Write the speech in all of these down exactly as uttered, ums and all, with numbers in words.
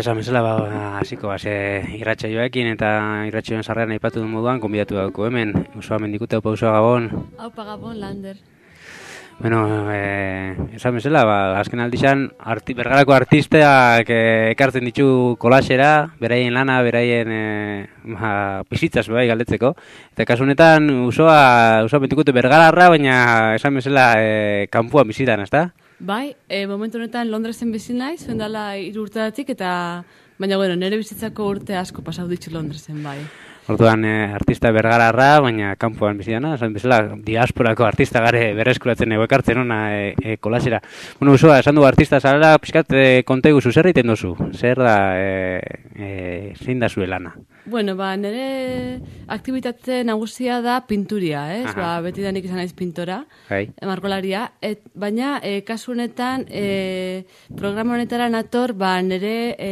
Esan bezala, ba, hasiko ba, irratsaioekin eta irratsaioen sarreran aipatu duen moduan, gonbidatu dauko hemen, Usoa Mendikute, Aupa Usoa Gabon. Aupa Gabon, Lander. Bueno, eh, esan bezala, ba, azken aldizan, arti, Bergarako artisteak eh, ekartzen ditu kolasera, beraien lana, beraien eh, ba, bizitzaz bai galdetzeko. Eta kasu honetan, Usoa, Usoa Mendikute Bergararra, baina esan bezala, eh, kanpoan bizitan, ezta? Bai, e, momentu honetan Londresen bizi naiz, zuen dela hiru urteatik, eta baina bueno, nire bizitzako urte asko pasau ditut Londresen, bai. Orduan eh, artista bergararra, baina kanpoan bizi dana, esan bezala diasporako artista gare berreskuratzen ego ekartzen ona e, e, kolasera. Bueno, Usoa, esan du artista zarela, pixkat e, kontegu zu, zer egiten dozu? Zer da, e, e, zein da zure lana? Bueno, ba, nire aktibitate nagusia da pinturia, ez? Aha. Ba, beti da nik izan naiz pintora, Hai. margolaria, et, baina e, kasu honetan, e, programa honetara nator, ba, nire e,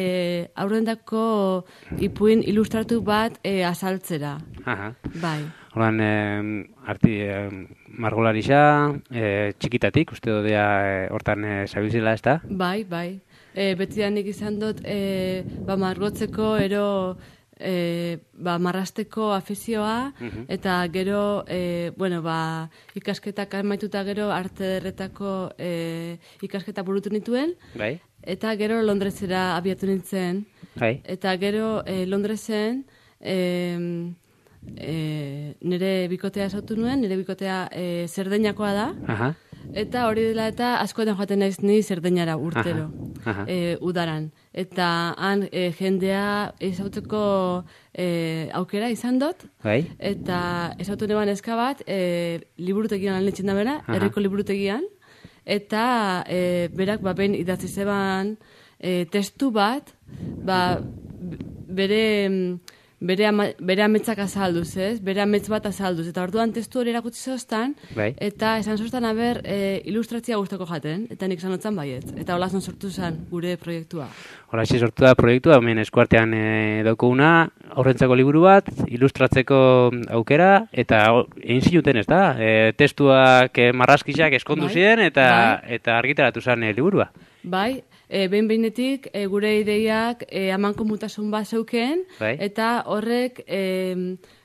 aurrendako ipuin ilustratu bat e, azaltzera. Aha. Bai. Horan, eh, arti, eh, margolarisa, eh, txikitatik, uste dodea eh, hortan eh, zabilzela, ez da? Bai, bai. E, beti da nik izan dut, e, ba, margotzeko, ero, E, ba, marrasteko afizioa, uh-huh. eta gero, e, bueno, ba, ikasketak amaituta gero arte derretako e, ikasketa burutu nituen, bai. Eta gero Londresera abiatu nintzen, bai. Eta gero e, Londresen e, e, nire bikotea esautu nuen, nire bikotea e, Zerdeñakoa da, Aha. Eta hori dela eta askotan joaten naiz ni Zerdeñara urtero, aha, aha. E, udaran. Eta han e, jendea ezauteko e, aukera izan dut, bai. Eta ezautu neban eska bat, e, liburutegian lan letzen da bera, herriko liburutegian, eta e, berak ba, ben idatzi zeban e, testu bat, ba, bere... Bere, ama, bere ametzak azalduz, ez? Bere amets bat azalduz. Eta orduan testu hori erakutsi zoztan, bai. Eta esan zoztan haber e, ilustrazia guztoko jaten, eta nik zanotzen baiet. Eta hola zon sortu zen gure proiektua. Hola, zi sortu da proiektua, hemen eskuartean e, daukuna, aurrentzako liburu bat, ilustratzeko aukera, eta egin zinuten, ez da? E, testuak e, marrazkizak eskondu bai. Ziren, eta, bai. Eta argitaratu zen e, liburua. Bai, e, behin behinetik e, gure ideiak e, amanko mutasun bat zeuken, bai. Eta horrek e,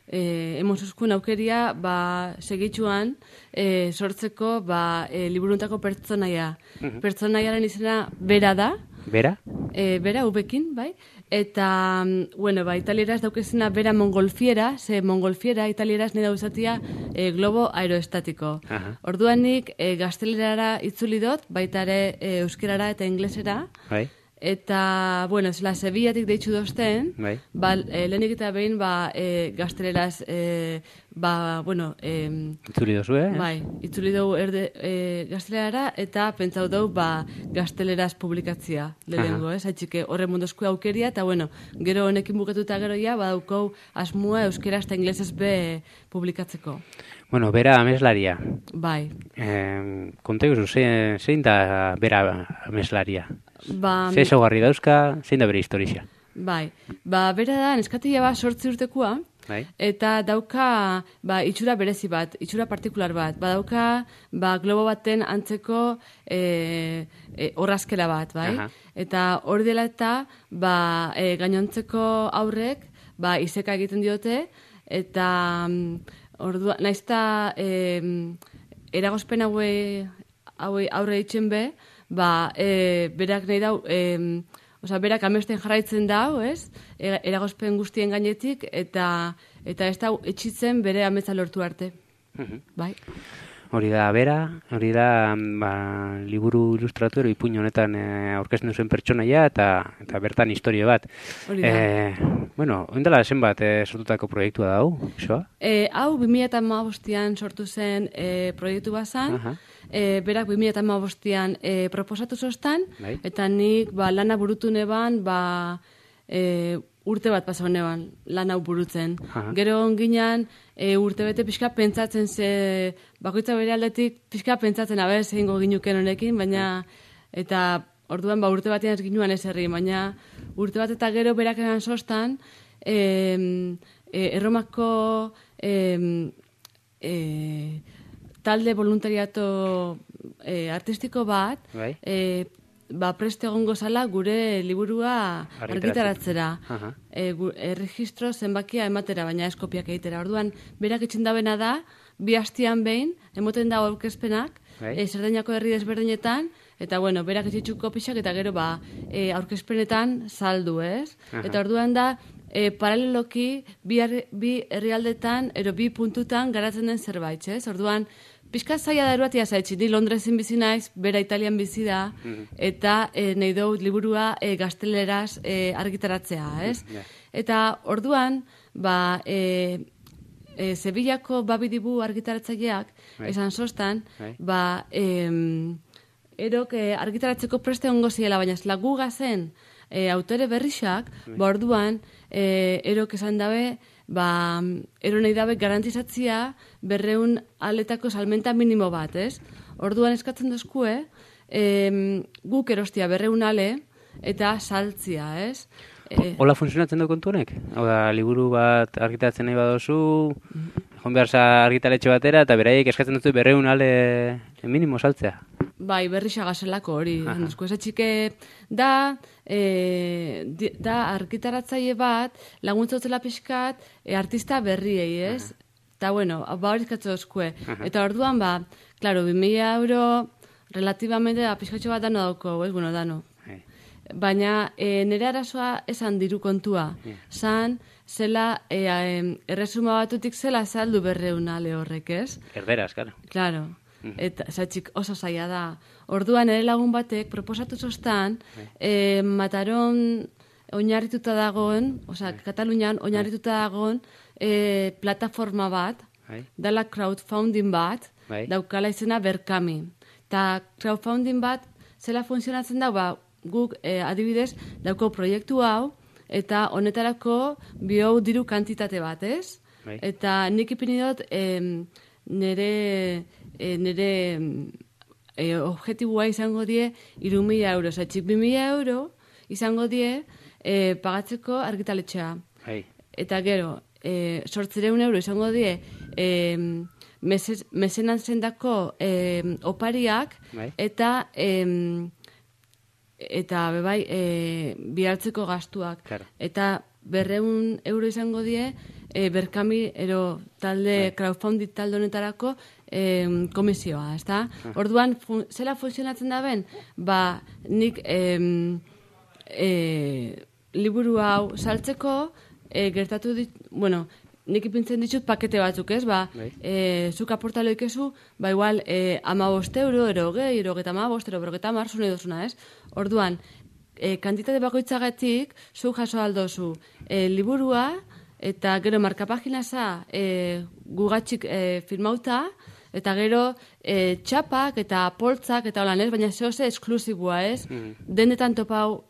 e, emozuzkun aukeria ba, segitxuan e, sortzeko ba, e, liburuntako pertsonaia. Uh-huh. Pertsonaiaren izena bera da. Bera? E, bera, ubekin, bai. Eta, bueno, ba, italieraz daukezena bera mongolfiera, ze mongolfiera italieraz nire dauzatia e, globo aeroestatiko. Aha. Orduan nik e, gaztelerara itzuli dut, baita ere e, euskerara eta inglesera. Bai. Eta, bueno, zela, Sevillatik deitzu dozten, bai. Ba, e, lehenik eta behin, ba, e, gazteleraz, e, ba, bueno... E, itzuli dozu, eh? Bai, itzuli dugu erde e, gaztelerara, eta pentsau dugu, ba, gazteleraz publikatzia, lehenengo, ez? Haitxike, horre mundosku aukeria, eta, bueno, gero honekin buketuta gero ja, badaukou asmua euskeraz eta inglesez be publikatzeko. Bueno, bera ameslaria. Bai. Eh, Konteguzu, zein, zein da bera ameslaria? Ba, Ze ezaugarri dauzka, zein da bere historia? Bai, ba, bera da, neskatia ba, sortzi urtekoa, bai. Eta dauka ba, itxura berezi bat, itxura partikular bat, ba, dauka ba, globo baten antzeko e, e, orrazkera bat, bai? Aha. Eta hori dela eta ba, e, gainontzeko aurrek ba, izeka egiten diote, eta ordua, naizta e, eragozpen haue, haue aurre itxen be, ba, e, berak nahi dau, e, oza, berak amesten jarraitzen dau, ez? E, eragozpen guztien gainetik, eta eta ez dau etxitzen bere ametsa lortu arte. Uh-huh. Bai. Hori da bera, hori da ba, liburu ilustratu ero ipuin honetan e, aurkezten duzuen pertsonaia eta eta bertan historia bat. Hori da. E, bueno, oindela zenbat e, sortutako proiektua da hau, isoa? E, hau, bi mila hamabostean sortu zen e, proiektu bazan, uh-huh. e, berak bi mila hamabostean e, proposatu zoztan, bai. Eta nik ba, lana burutu neban, ba, e, urte bat pasa honean lan hau burutzen. Aha. Gero onginan e, urte bete pixka pentsatzen ze, bakoitza bere aldetik pixka pentsatzen abe zein ginuken honekin, baina eta orduan ba urte batean ez ginuan ez herri, baina urte bat eta gero berak eran sostan, e, e, Erromako e, e, talde voluntariato e, artistiko bat, e, ba, preste egongo zala gure liburua argitaratzera. E, gu, erregistro zenbakia ematera, baina eskopiak egitera. Orduan, berak itxen dabena da, bi hastian behin, emoten da aurkezpenak, e, Zerdainako herri desberdinetan, eta bueno, berak itxitzuko pixak, eta gero ba, e, aurkezpenetan saldu, ez? Aha. Eta orduan da, e, paraleloki, bi, bi herrialdetan, ero bi puntutan garatzen den zerbait, ez? Orduan, pixka zaila da eruatia zaitxi, ni Londresen bizi naiz, bera Italian bizi da, mm-hmm. eta e, nahi dut liburua e, gazteleraz e, argitaratzea, ez? Mm-hmm. Yeah. Eta orduan, ba, e, e, Sevillako babidibu argitaratzaileak, right. esan sostan, right. ba, e, erok e, argitaratzeko preste ongo ziela, baina zela guga zen e, autore berrixak, right. ba, orduan, e, erok esan dabe, ba, ero nahi dabe garantizatzia berreun aletako salmenta minimo bat, ez? Orduan eskatzen dozkue, em, guk erostia berreun ale eta saltzia, ez? E, Hola funtzionatzen du kontu honek? Hau da, liburu bat argitaratzen nahi badozu, joan behar za argitaletxe batera, eta beraiek eskatzen dut berreun ale minimo saltzea. Bai, berrixa gazelako hori. Ese txike da, e, da argitaratzaile bat, laguntza utzela pixkat, e, artista berriei, ez? Eta, bueno, ba hori izkatzo dozkue. Eta orduan, ba, klaro, bi mila euro, relativamente, da, pixkatxo bat dano dauko, ez? Bueno, dano. Baina, e, nire arazoa esan diru kontua. Zan, zela, e, e, erresuma batutik zela saldu berreun ale horrek, ez? Erderaz, claro. Claro. Eta zatxik oso zaila da. Orduan ere lagun batek proposatu zostan, eh, Mataron oinarrituta dagoen, oza, Katalunian oinarrituta dagoen eh, plataforma bat, dala crowdfunding bat, daukala izena Berkami. Ta crowdfunding bat zela funtzionatzen da, ba, guk eh, adibidez dauko proiektu hau, eta honetarako bio diru kantitate bat, ez? Eta nik ipini dut eh, nire E, nire e, objetibua izango die hiru mila euro. Zatxik bi mila euro izango die e, pagatzeko argitaletxea. Hey. Eta gero, e, sortzireun euro izango die e, mesenan zendako e, opariak hey. eta e, eta bebai e, bihartzeko gastuak. Claro. Eta berreun euro izango die e, Berkami ero talde hey. crowdfunding talde honetarako E, komisioa, ezta? Orduan, fun, zela funtzionatzen da ben, ba, nik e, e, liburu hau saltzeko, e, gertatu dit, bueno, nik ipintzen ditut pakete batzuk, ez? Ba, e, zuk aportalo ikezu, ba, igual, e, ama bost euro, ero gehi, ero geta ama bost, ero bergeta mar, zune dozuna, ez? Orduan, e, kantitate bakoitzagatik, zuk jaso aldozu, e, liburua, eta gero markapaginaza e, gugatxik e, firmauta, eta gero e, txapak eta poltzak eta holan, ez? Baina zehose esklusibua, ez? Mm-hmm. Denetan topau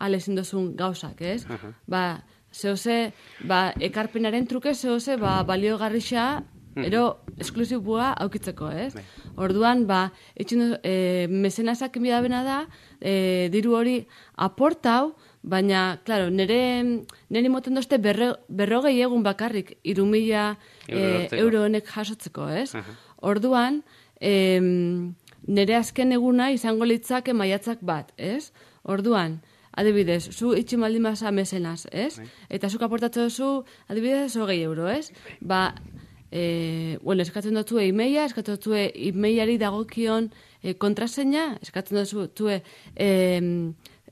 alezin dozun gauzak, ez? Uh-huh. Ba, zehose, ba, ekarpenaren truke zehose, ba, balio garrixa, ero esklusibua aukitzeko, ez? Mm-hmm. Orduan, ba, etxin, e, mesenazak enbidabena da, e, diru hori aportau, baina, klaro, nire, nire moten dozte berre, berrogei egun bakarrik irumila e, euro honek jasotzeko, ez? Uh-huh. Orduan, em, nire azken eguna izango litzake maiatzak bat, ez? Orduan, adibidez, zu itxi maldin basa mesenaz, ez? Bai. Eta zuk aportatzen duzu, adibidez, hogei euro, ez? Ba, e, bueno, eskatzen dut zue e-maila, eskatzen dut zue e-mailari dagokion e, kontraseina, eskatzen dut zue e,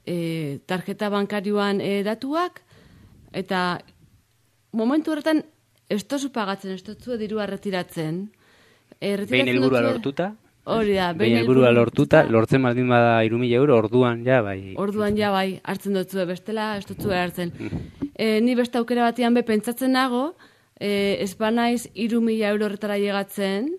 e, tarjeta bankarioan e, datuak, eta momentu horretan, ez tozu pagatzen, ez tozu dirua retiratzen. E, behin helburua lortuta? Hori da. Behin helburua lortuta, lortzen baldin bada hiru mila euro, orduan ja bai. Orduan ja bai, hartzen dutzue, bestela ez dutzue hartzen. e, ni beste aukera batian be pentsatzen nago, e, ez banaiz hiru mila euro horretara llegatzen,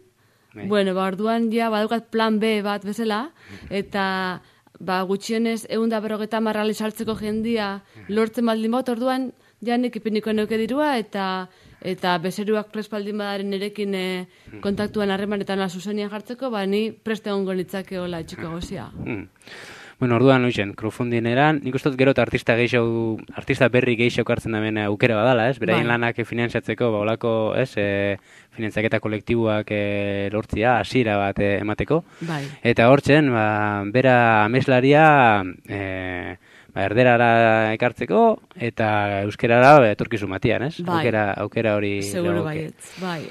bai. Bueno, ba, orduan ja badukat plan B bat bezala, eta ba, gutxienez ehun eta berrogeita hamar ale saltzeko jendia lortzen baldin bat, orduan janik ipiniko neuke dirua, eta eta bezeruak prespaldin badaren nerekin e, kontaktuan harremanetan zuzenian jartzeko, ba, ni preste ongo nitzake hola etxiko gozia. Mm. Bueno, orduan hoizen, crowdfunding eran, nik uste dut gero eta artista gehiago, artista berri gehiago hartzen damen aukera badala, ez? Beraien bai. Lanak finantzatzeko, ba, olako, ez, e, finantzaketa kolektiboak e, lortzia, hasiera bat e, emateko. Bai. Eta hortzen, ba, bera ameslaria, e, ba, erderara ekartzeko, eta euskerara etorkizu matian, ez? Bai. Aukera, aukera hori... Seguro baietz, bai.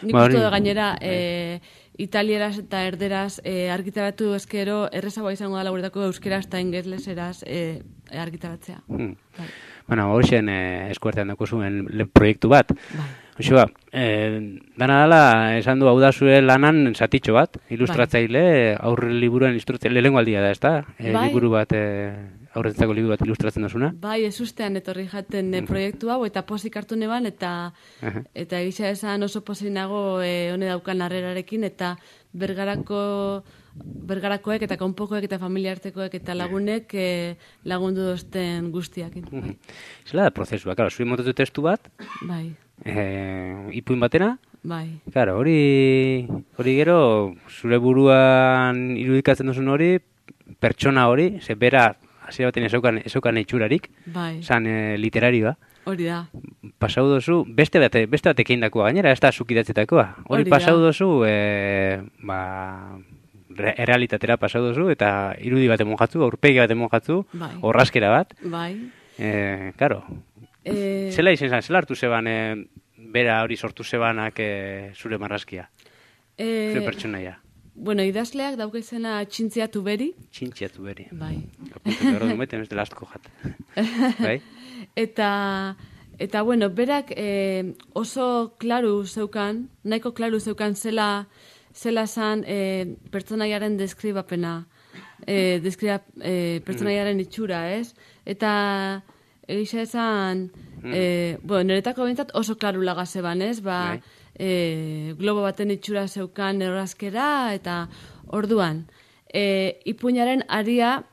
Nik ba, uste gainera... Bai. E, italieraz eta erderaz e, argitaratu ezkero errezagoa izango da laguretako euskeraz eta ingeleseraz e, argitaratzea. Hmm. Bai. Bueno, horixen e, eskuartean dako zuen proiektu bat. Bai. Hoxoa, e, dana dala esan du hau da zuen lanan zatitxo bat, ilustratzaile, bai. Aurre liburuen ilustratzaile, lehenko aldia da, ez da? E, bai. Liburu bat... E, aurrentzako liburu bat ilustratzen dozuna? Bai, ez ustean etorri jaten e, proiektu hau, eta pozik hartu neban, eta uh-huh. eta egisa esan oso pozik nago e, hone daukan harrerarekin, eta bergarako bergarakoek eta konpokoek eta familiartekoek eta lagunek e, lagundu dozten guztiakin. Uh-huh. Zela da prozesua, karo, zuri motetu testu bat, bai. E, ipuin batena, bai. Karo, hori, hori gero, zure buruan irudikatzen duzun hori, pertsona hori, ze bera, hasiera baten ezaukan, ezaukan itxurarik, bai. Zan e, literarioa. Hori da. Pasau dozu, beste bate, beste batek eindakoa, gainera, ez da zukidatzetakoa. Hori pasau dozu, e, ba, errealitatera pasau dozu, eta irudi bat emon jatzu, aurpegi bat emon jatzu, bai. Orraskera bat. Bai. E, karo, e... zela izen zan, zela hartu zeban, e, bera hori sortu zebanak e, zure marrazkia, e... zure pertsonaia. Bueno, idazleak dauka izena Txintzia Tuberi. Txintzia Tuberi. Bai. Apuntu behar dut meten, ez dela astuko jat. Bai? Eta, eta bueno, berak eh, oso klaru zeukan, nahiko klaru zeukan zela, zela zan eh, pertsonaiaren deskribapena, eh, deskriba, eh, pertsonaiaren itxura, ez? Eta egisa esan, eh, bueno, niretako bintzat oso klaru laga zeban, ez? Ba, bai. E, globo baten itxura zeukan errazkera, eta orduan e, ipuinaren aria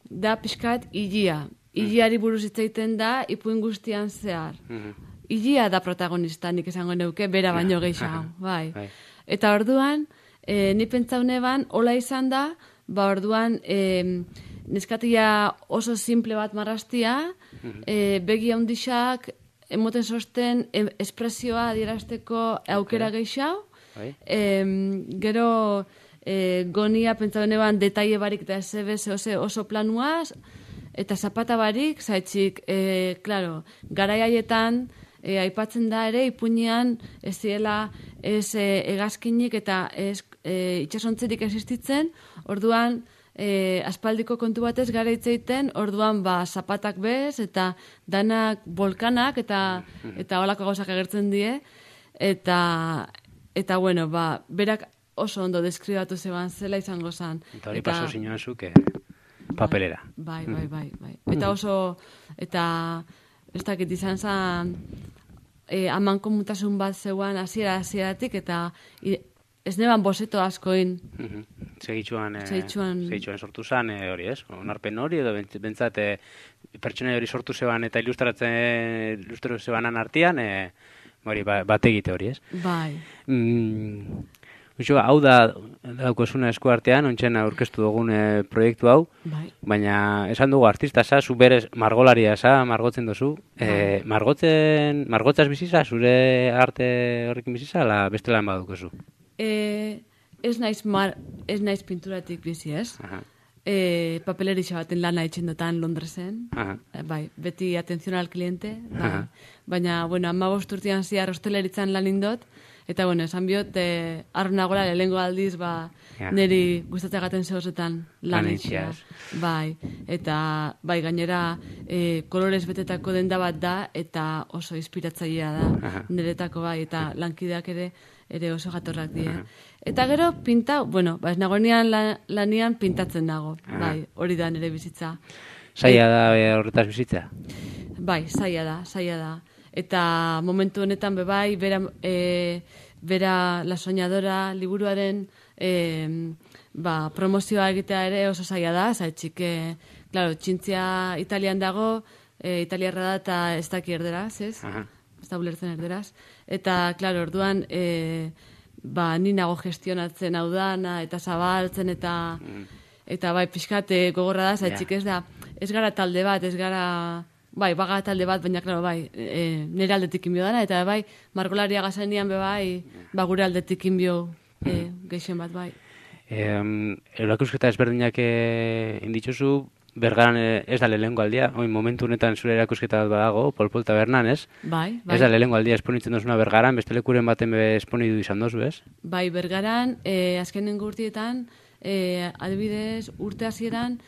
da pixkat ilia. Iliari buruz hitzaiten da ipuin guztian zehar. Ilia da protagonista, nik esango neuke, bera baino gehiago. Bai. Eta orduan, e, ni pentsaune ban, hola izan da, ba orduan e, neskatia oso simple bat marraztia, e, begi handixak, emoten sosten espresioa adierazteko aukera okay. Gehiago. E, gero e, gonia pentsa beneban detaile barik eta ez oso, oso planuaz, eta zapata barik, zaitxik, e, claro, garai haietan e, aipatzen da ere, ipuinean ez ziela ez e, egazkinik eta ez e, itxasontzerik existitzen, orduan, E, aspaldiko kontu batez gara hitzeiten, orduan ba zapatak bez eta danak volkanak eta eta holako gauzak agertzen die, eta eta bueno, ba berak oso ondo deskribatu zeban zela izango zen. Eta hori paso zinoan zuke papelera. Bai, bai, bai, bai. Eta oso, eta ez dakit izan zen e, aman komutasun bat zeuan hasiera hasieratik eta i, ez neban bozeto askoin. Segitxuan, e, segitxuan sortu zen, e, hori ez? Onarpen hori, edo bentsat e, pertsonai hori sortu zeban eta ilustratzen ilustratu zebanan artean, e, hori, ba, bat egite hori ez? Bai. Mm, Uxo, hau da, daukozuna esku artean, ontsen aurkeztu dugun e, proiektu hau, bai. Baina esan dugu artista za, zu berez margolaria za, margotzen dozu. Bai. E, margotzen, margotzaz biziza, zure arte horrekin biziza, ala beste lan badukozu? E, ez naiz mar, ez naiz pinturatik bizi, ez? Aha. E, papelerixa baten lana etxendotan Londresen. Aha. E, bai, beti atención al cliente. Bai. Baina, bueno, amabost urtean ziar hosteleritzan lan indot, eta, bueno, esan biot, e, arronagola lehengo aldiz, ba, ja. Neri gustatzeagaten zehozetan lan etxea. Bai, eta, bai, gainera, e, kolorez betetako denda bat da, eta oso inspiratzailea da, aha. Niretako, bai, eta lankideak ere, ere oso jatorrak die. Eta gero pinta, bueno, ba ez nagoenean lanian pintatzen nago, bai, hori da nire bizitza. Zaila da horretaz bizitza? Bai, zaila da, zaila da. Eta momentu honetan be bai, bera, e, bera La Soñadora liburuaren e, ba, promozioa egitea ere oso zaila da, zaitxik, e, claro, Txintzia Italian dago, e, italiarra da eta ez daki erderaz, ez? Aha. Ez da ulertzen erderaz. Eta, klaro, orduan, e, ba, ni nago gestionatzen hau dana, eta zabaltzen, eta, mm. eta bai, pixkate gogorra da, zaitxik ez da, ez gara talde bat, ez gara, bai, baga talde bat, baina, klaro, bai, e, nire aldetik inbio dana, eta bai, margolaria gazanian be bai, ba, gure aldetik inbio e, geixen bat, bai. Um, Erakusketa ezberdinak e, inditzuzu, Bergaran ez da lehengo aldia, oin momentu honetan zure erakusketa bat badago, Polpol Tabernan, ez? Bai, bai. Ez da lehengo aldia esponitzen dozuna Bergaran, beste lekuren baten be esponidu izan dozu, ez? Bai, Bergaran, eh, azkenengo urtietan, eh, adibidez, urte hasieran,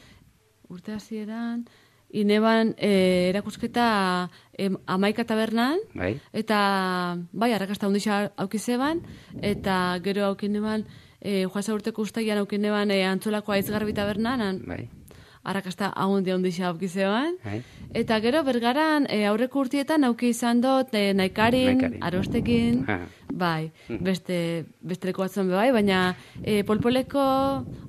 urte hasieran, ineban eh, erakusketa eh, Amaika Tabernan, bai. Eta, bai, arrakasta hundisa aukizeban, eta gero aukineban, eh, joasa urteko ustaian aukineban eh, Antzolako Aizgarbi Tabernan, bai. Arrakasta ahondia ondisa aukizeban. Hai. Eta gero Bergaran e, aurreko urtietan auki izan dut e, naikarin, naikarin, arostekin, ha. Bai, beste, beste leku batzuen bai, baina e, polpoleko,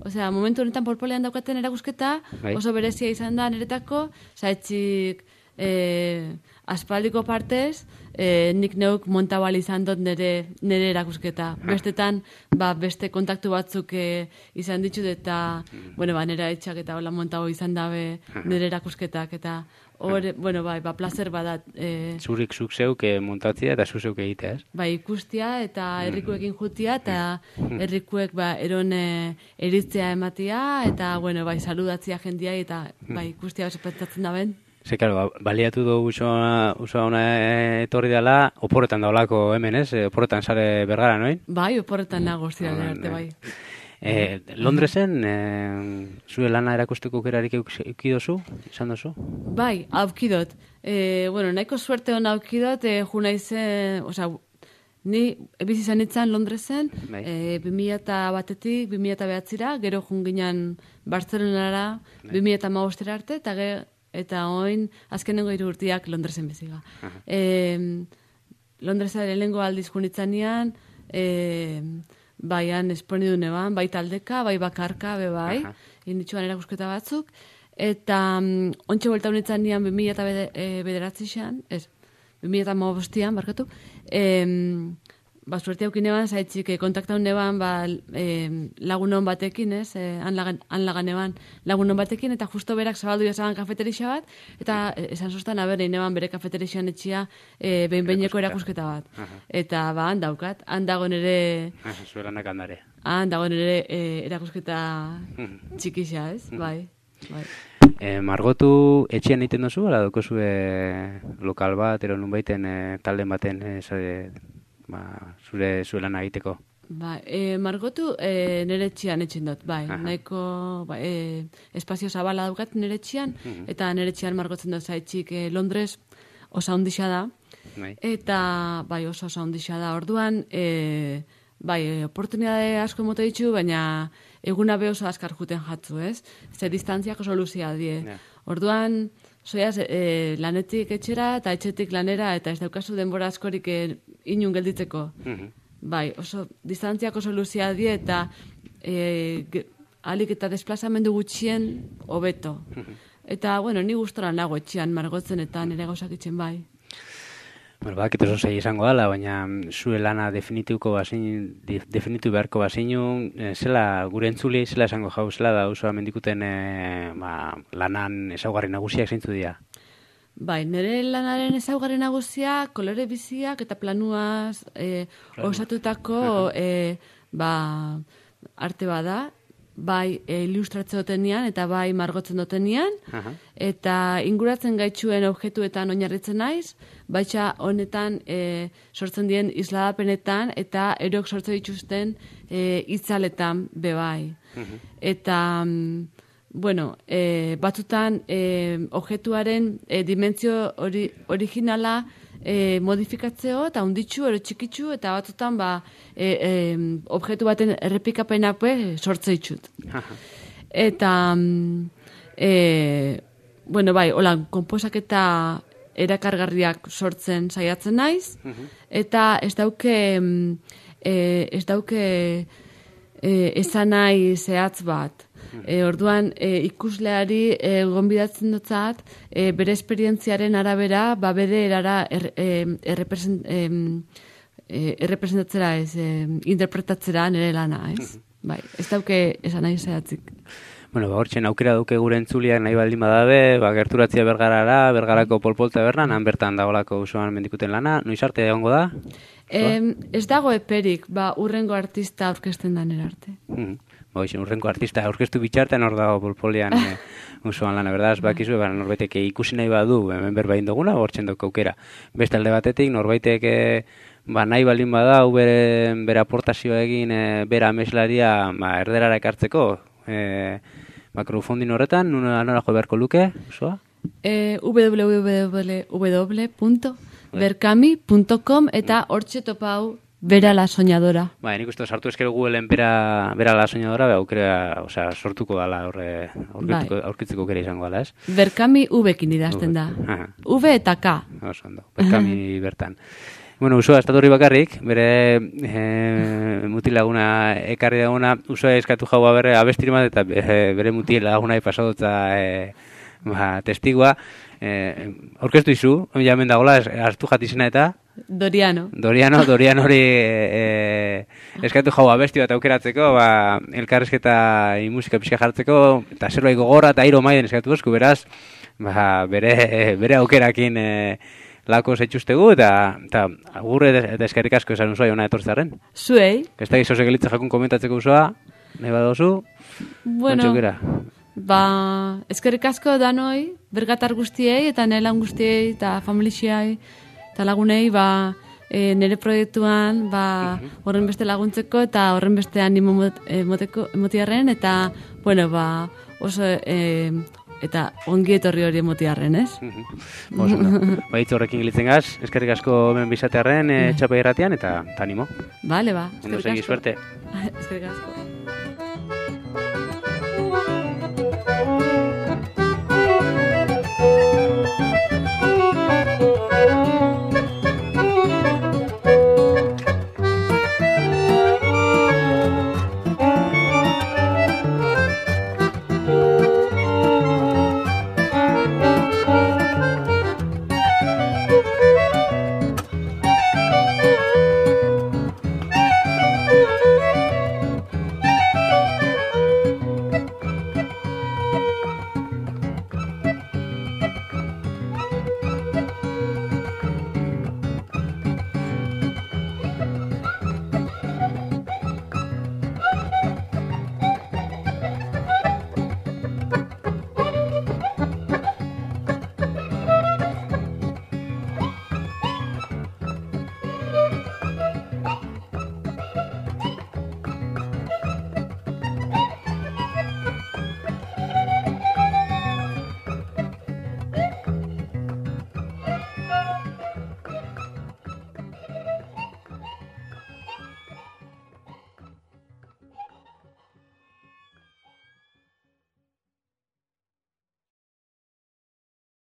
osea, momentu honetan polpolean daukaten erakusketa, bai. Oso berezia izan da niretako, zaitzik e, aspaldiko partez, e, nik neuk montabal izan dut nire, nire erakusketa. Bestetan, ba, beste kontaktu batzuk e, izan ditut eta, mm. bueno, ba, nire etxak eta hola montago izan dabe nire erakusketak eta hor, bueno, bai, ba, placer badat. E, Zurik zuk zeuk e, montatzia eta zuk zeuk egitea, ez? Bai, ikustia eta herrikuekin jutia eta herrikuek, ba, eron e, eritzea ematia eta, bueno, bai, saludatzia jendia eta, bai, ikustia besepetatzen daben. Ze, claro, baliatu du usua ona etorri dela, oporretan daulako hemen, ez? Oporretan sare Bergara, noin? Bai, oporretan nago zira arte, bai. Eh, Londresen, eh, zure lana erakusteko aukerarik eukidozu, izan dozu? Bai, aukidot. Eh, bueno, nahiko suerte hona aukidot, eh, ju naizen, osea, ni ebiz izan itzan Londresen, bai. eh, bi mila batetik, bi mila behatzira, gero junginan Bartzelonara, bai. bi mila hamabostera arte, eta gero, eta oin, azkenengo hiru urtiak Londresen beziga. E, Londresa lehenengo aldiz junitzanean, e, baian esponidu neban, bai taldeka, bai bakarka, be bai, inditzuan erakusketa batzuk, eta um, ontsa buelta honitzanean bi mila bederatzi xan, ez, bi mila hamabostian, barkatu, e, ba, suerte haukin eban, zaitzik, eh, kontaktaun neban, ba, eh, lagunon batekin, ez, eh, anlagan, anlagan eban lagunon batekin, eta justo berak zabaldu jazaban kafeterixa bat, eta eh, esan sustan, aber, neban bere kafeterixan etxia eh, behin-behineko erakusketa bat. Aha. Eta, ba, han daukat, han dago nere... Zuelanak handare. Han dago nere eh, erakusketa txikixa, ez, bai, bai. E, margotu etxean egiten duzu, ala dukozu e, lokal bat, ero nun baiten e, talden baten, e, zare, ba, zure zuelan egiteko? Ba, e, margotu e, nire etxean etxen dut, bai, aha. Nahiko ba, e, espazio zabala daukat nire etxean, uh-huh. Eta nire etxean margotzen dut zaitxik e, Londres osa hundixa da, bai. Eta bai oso osa hundixa da, orduan, e, bai, oportunidade asko emote ditu, baina eguna be oso askar juten jatzu, ez? Ze distantziak oso luzia die. Yeah. Orduan, zoiaz, e, lanetik etxera eta etxetik lanera, eta ez daukazu denbora askorik e, inun gelditzeko. Uh-huh. Bai, oso distantziak oso luzia die, eta e, ge, alik eta desplazamendu gutxien hobeto. Uh-huh. Eta, bueno, ni gustora nago etxean margotzen eta nire gauzak itxen bai. Bueno, bak, eta oso izango dela, baina zure lana definituko bazin, definitu beharko bazinu, e, zela gure entzuli, zela esango jau, zela da osoa mendikuten e, ba, lanan ezaugarri nagusiak zeintzu dira? Bai, nire lanaren ezaugarri nagusia, kolore biziak eta planuaz e, osatutako e, ba, arte bada, bai e, ilustratze dutenian eta bai margotzen dutenian, uh-huh. Eta inguratzen gaitxuen objektuetan oinarritzen naiz, baitxa honetan e, sortzen dien isladapenetan eta erok sortzen dituzten e, itzaletan bebai. Uh-huh. Eta, bueno, e, batzutan e, objektuaren e, dimentsio ori, originala E, modifikatzeo eta unditxu, ero txikitxu, eta batzutan ba, e, e, objektu baten errepikapenak sortze ditut. Eta, e, bueno, bai, hola, konposaketa erakargarriak sortzen saiatzen naiz, eta ez dauke, e, ez dauke e, esan nahi zehatz bat. E, orduan, e, ikusleari e, gonbidatzen dutzat, e, bere esperientziaren arabera, ba bere erara er, e, errepresent, e, e, errepresentatzera ez, e, interpretatzera nire lana, ez? Bai, ez dauke esan nahi zehatzik. Bueno, ba, hortxen aukera duke gure entzuliak nahi baldin badabe, ba, gerturatzia Bergarara, Bergarako polpolta berran, han bertan dagoelako usoan mendikuten lana, noiz arte egongo da? E, ez dago eperik, ba, urrengo artista aurkezten da nire arte. Mm. Ba, oixen, urrengo artista aurkeztu bitxartean hor dago polpolian e, usoan lana, berdaz, bakizu, ba, norbaitek ikusi nahi badu, hemen berbain duguna, hortxen duk aukera. Beste alde batetik, norbaitek e, ba, nahi baldin bada, bere, bere aportazioa egin, e, bere ameslaria ba, erderara ekartzeko, e, ba, crowdfunding horretan, nora jo beharko luke, usoa? E, w w w punto berkami punto com eta hortxe topau Bera la soñadora. Ba, nik uste sartu ezkero Googleen bera, bera la soñadora, be, aukera, osea, sortuko dala horre, aurkitzeko, aurkitzeko kere izango dala, ez? Berkami ubekin idazten da. V eta K. Oso ondo, Berkami bertan. Bueno, Usoa estatorri bakarrik, bere e, mutilaguna ekarri daguna, Usoa eskatu jaua bere abestirmat eta bere mutilaguna pasodotza e, ba, testigua. E, orkestu izu, jamen dagoela, hartu jatizena eta... Doriano. Doriano, Doriano hori e, eskatu jau abesti bat aukeratzeko, ba, elkarrezketa i musika pixka jartzeko, eta zerbait gogorra eta airo maiden eskatu bosku, beraz, ba, bere, bere aukerakin e, lako zetxustegu, eta, eta agurre eta eskerrik asko esan Usoa jona etortzaren. Zuei. Ez da gizoze gelitza jakun komentatzeko Usoa, nahi badozu, bueno, ba, eskerrik asko danoi, bergatar guztiei, eta nelan guztiei, eta familixiai, eta lagunei, ba, e, nire proiektuan, ba, horren beste laguntzeko, eta horren beste animo moteko, motiarren, eta, bueno, ba, oso, e, eta ongi etorri hori motiarren, ez? Oso, no. Ba, hitz horrekin gilitzen gaz, eskerrik asko hemen bizatearren, e, txapa irratian, eta animo. Vale, ba, eskerrik asko. Ondo segi, suerte. Eskerrik asko.